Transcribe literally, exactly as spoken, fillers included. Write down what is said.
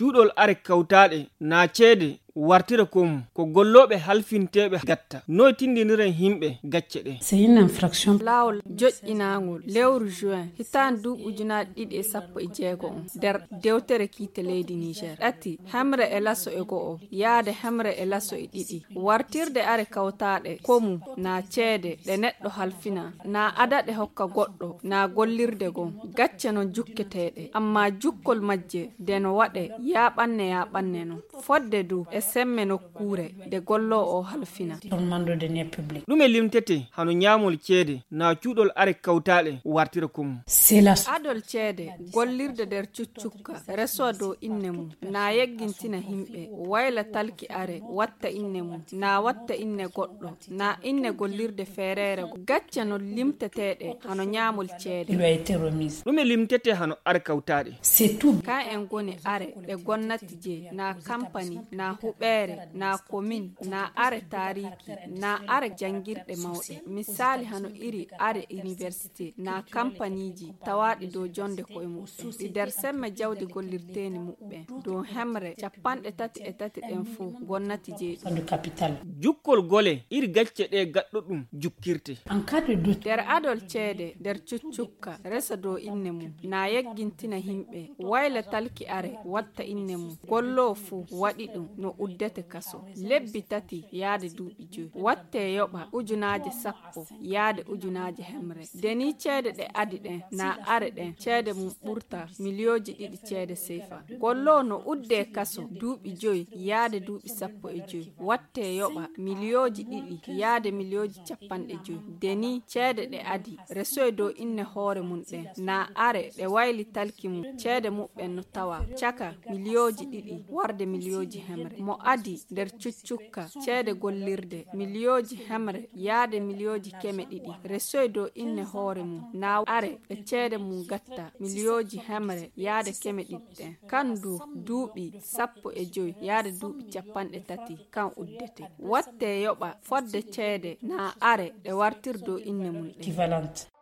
cuuɗol are kawtaaɗe naa ceede wartira kom ko golloɓe halfinteɓe gatta noy tindiniren himɓe gacce ɗe. C'est une infraction. Lawol joƴƴinagol lewru juin hitaan du ujunaɗe ɗiɗi e sappo e jeego on nder dewtere kiite leydi Niger. ɗati hemre e laso e go'o yaade hemre e laso e ɗiɗi wartirde are kawtaaɗe komu na ceede ɗe neɗɗo halfina na adaɗe hokka goɗɗo na gollirde gon gacce non jukketeɗe amma jukkol majje de no waɗe yaɓanne yaɓanne no fodde du e semme nokkure de gollo o halfina. ɗume limtete hano ñaamol ceede na cuuɗol are kawtaaɗe wartira kom. adol ceede gollirde nder cuccukka reso dow inne mum na yeggintina himɓe wayla talki are watta inne mum na watta inne goɗɗo na inne gollirde feerere gacce no limteteɗe hano ñaamol ceede. ɗume limtete hano are kawtaaɗe. ka en goni are ɗe gonnati je na kampani na huɓere na commune na are tariki na are jangirɗe mawɗe misali hano iri are université na kampaniji tawaɗi dow jonde koye mum ɗi nder semme jawdi gollirteni muɓɓe dow hemre capanɗe tati e tati ɗen fuu gonnati jeeɗi. jukkol gole iri gacce ɗe gaɗɗo ɗum jukkirte. nder adol ceede nder cuccukka resa dow inne mum na yeggintina himɓe wayla talki are watta inne mum gollo fuu waɗi ɗum no uddete kaso lebbi tati yaade duuɓi joyi watte yoɓa ujunaje sappo yaade ujunaje hemre deni ceede ɗe adi ɗen na are ɗen ceede mum ɓurta miliyoji ɗiɗi ceede sefa gollo no udde kaso duuɓi joyi yaade duuɓi sappo e joyi watte yoɓa miliyoji ɗiɗi yaade miliyoji capanɗe joyi deni ceede ɗe adi resoy dow inne hoore mum ɗen na are ɗe wayli talki mum ceede muɓɓen no tawa caka miliyoji ɗiɗi warde miliyoji hemre mo adi nder cuccukka ceede gollirde miliyoji hemre yaade miliyoji keme ɗiɗi resoy dow inne hoore mum na are ɗe ceede mum gatta miliyoji hemre yaade keme ɗiɗi ɗen kan du duuɓi sappo e joyi yaade duuɓi capanɗe tati kan uddete watte yoɓa fodde ceede na are ɗe wartir dow inne mum ɗen.